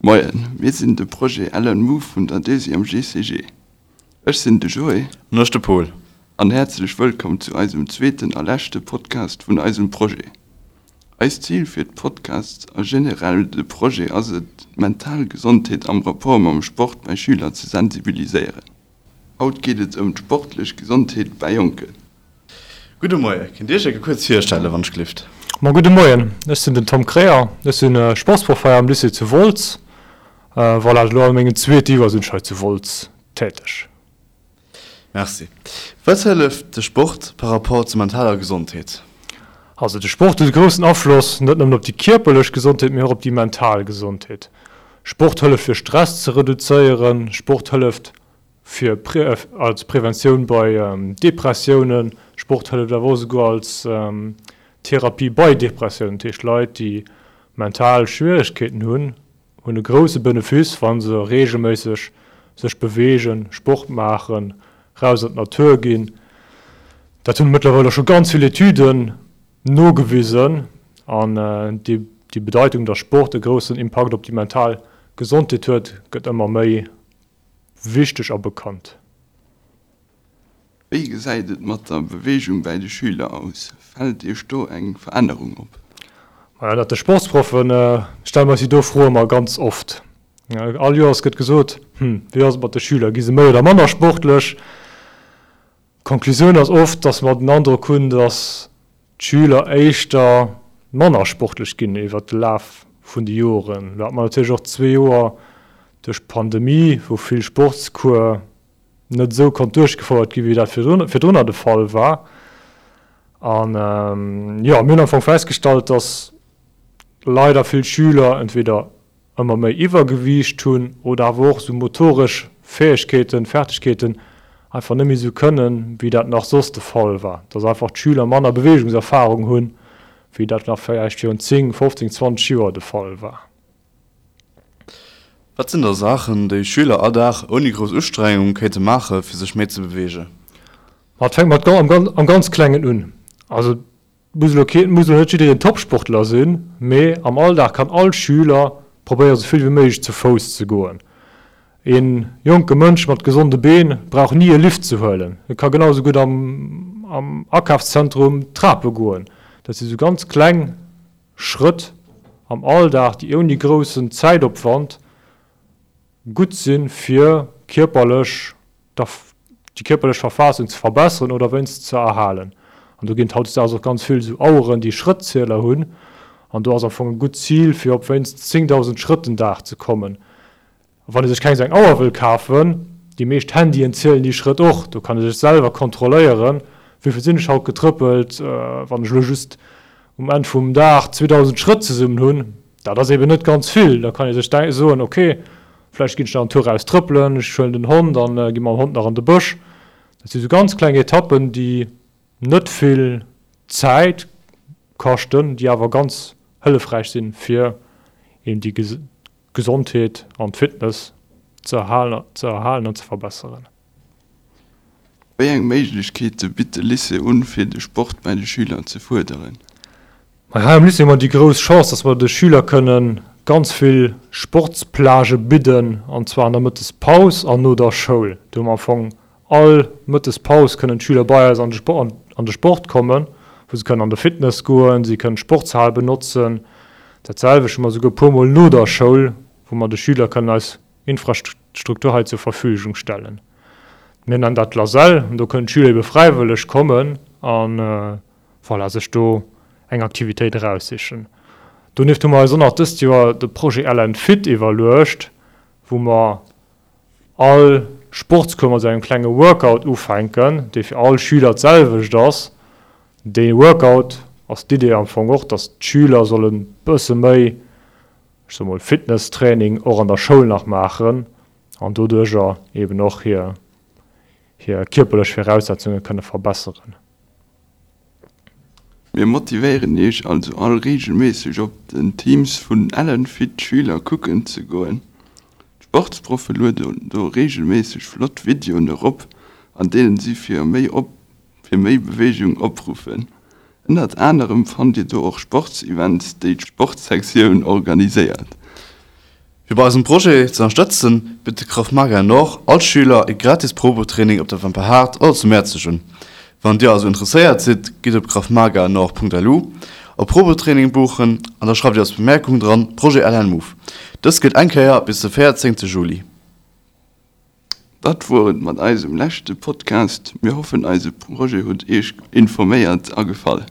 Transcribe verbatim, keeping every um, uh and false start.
Moien, mir sinn de Projet Ellen Move vun der Deuxième GCG. Ech sinn de Joé. An ech de Pol. An häerzlech wëllkomm zu eisem zweeten a leschte Podcast vun eisem Projet. Eist Zil fir d'Podcasts a generell de Projet ass et, d'mental Gesondheet am Rapport mam Sport bei Schüler ze sensibiliséieren. Haut geet et ëm d'sportlech Gesondheet bei Jonken. Gudde Moie, kéint Dir Iech eng Kéier kuerz virstellen, wann ech gelift? Ma gudde Moien, ech sinn den Tom Kreher, ech sinn Sportsproff hei am Lycée zu Wolz. Voilà, elo a mengem zweete Joer sinn ech hei zu Wolz täteg. Merci. Wat hëlleft de Sport par rapport zur mentaler Gesondheet? Also de Sport huet e groussen Afloss net nëmmen op déi kierperlech Gesondheet, mee och op déi mental Gesondheet. Sport hëlleft fir Stress ze reduzéieren, Sport hëlleft fir als Preventioun bei Depressiounen, Sport hëlleft awer och esouguer als Therapie bei Depressiounen. Dat heescht Leit déi mental Schwieregkeeten hunn, hunn e grousse Benefice wa se reegelméisseg sech beweegen, Sport maachen, raus an d'Natur ginn. Dat hunn mëttlerweil och scho ganz vill Etüden nogewisen an déi Bedeitung, datt Sport e groussen Impakt op déi mental Gesondheet huet, gëtt ëmmer méi wichteg a bekannt. Wéi gesäit et mat der Beweegung bäi de Schüler aus? Fält Iech do eng Verännerung op? Majo, dat de Sportsproffen stelle mer eis déi do Fro ëmmer ganz oft. All Joers gëtt gesot, Hm, wéi ass et mat de Schüler, gi se méi oder manner sportlech? D'Konklusioun ass oft, datt mer den Androck hunn, datt d'Schüler éischter manner sportlech ginn iwwert de Laf vun de Joren. Lo hat mer natierlech och zwee Joer duerch d'Pandemie, wou vill Sportscours net esou konnt duerchgefouert ginn, wéi dat virdrunner de Fall war. An jo, mir hunn am Fong festgestallt, dass leider vill Schüler entweder ëmmer méi Iwwergewiicht hunn oder awer och esou motoresch Fäegkeeten, Fertigkeeten einfach net méi esou kënnen, wéi dat nach soss de Fall war. Dass einfach d'Schüler manner Beweegungserfarung hunn, wéi dat nach vläicht virun zéng, fofzéng, zwanzeg Joer de Fall war. Wat sinn da Saachen, déi Schüler all Dag ouni grouss Ustrengung kéinte maache fir sech méi ze beweegen? Ma et fänkt mat am ganz Klengen un. Also et muss elo keen, et muss elo net jiddereen Topsportler sinn, mee am Alldag kann all Schüler probéiere sou vill wéi méiglech zu Fouss ze goen. Ee jonke Mënsch mat gesonde Been brauch ni e Lift ze huelen. E ka genau sou gutt am am Akafszentrum d'Trape goen. Dat si sou ganz kleng Schrëtt am Alldag, déi ouni groussen Zäitopwand gutt sinn, fir kierperlech déi kierperlech Verfassung ze verbesseren oder wéinst ze erhalen. An do ginn et hautdesdaags och ganz vill esou Aueren, déi Schrëttzieler hunn. An do ass am Fong e gutt Zil, fir op wéinst zéngdausend Schrëtt den Dag ze kommen. A wann ee sech keng esou eng Auer wëll kafen, déi meescht Handyen zielen déi Schrëtt och, do kann ee sech selwer kontrolléieren, wéi vill sinn ech haut getrëppelt. Wann ech elo just um Enn vum Dag zweedausend Schrëtt zesummen hunn, dat ass eben net ganz vill, da kann ee sech soen, ok, vläicht ginn ech nach en Tour raus trëppelen, ech huelen den Hond an gi mam Hond nach an de Bësch. Dat si sou ganz kleng Etappen, déi net vill Zäit kaschten, déi awer ganz hëllefräich sinn, fir eben déi Gesondheet an d'Fitness ze erhalen an ze verbesseren. Wéi eng Méiglechkeete bitt de Lycée un, fir de Sport bäi de Schüler ze fuerderen? Hei am Lycée hu mer déi grouss Chance, dass mer de Schüler kënne ganz vill Sportsplagë bidden, an zwar an der Mëttespaus an no der Schoul. Do hu mer am Fong all Mëttespaus kënnen d'Schüler bei eis an de Sport kommen, wou se kënnen an de Fitness goen, si kënnen d'Sportshal benotzen. Dat selwecht hu mer souguer e puermol no der Schoul, wou mer de Schüler kënnen eis Infrastruktur hei zur Verfügung stellen. Mir nennen dat Lasell an do kënnen d'Schüler ebe fräiwëlleg kommen an voilà, sech do eng Aktivitéit eraussichen. Donieft hu mer eis och nach dëst Joer de Projet L N Fit iwwerluecht, wou mer all Sportscours mat esou engem klenge Workout ufänken, dee fir all Schüler d'selwecht ass. Dee Workout ass d'Idee am Fong och, dass d'Schüler sollen e bësse méi, ech soe mol, Fitnesstraining och an der Schoul nach maachen an doduerjer eben och hir hir kierperlech Viraussetzunge kënne verbesseren. Mir motivéieren iech also all reegelméisseg op den Teams vun Ellenfit Schüler kucken ze goen. D'Sportsproffe lueden do reegelméisseg flott Videoen erop an deenen si fir méi fir méi Beweegung opruffen. Ënnert anerem fannt dir do och Sportsevents déi d'Sportsektioun organiséiert. Fir bei eisem Projet ze ënnerstëtzen, bitt de Krav Maga Nord all Schüler e gratis Probetraining op der Wemperhaart oder zu Mäerzeg un. Wann dir also interesséiert sidd, gitt op kravmaganord.lu op Probetraining buchen an da schreift dir als Bemerkung dran Projet LN Move. Dëst gëllt eng Kéier bis de véierzéngte Juli. Dat wor et mat eisem leschte Podcast. Mir hoffen eise Projet huet iech informéiert a gefall.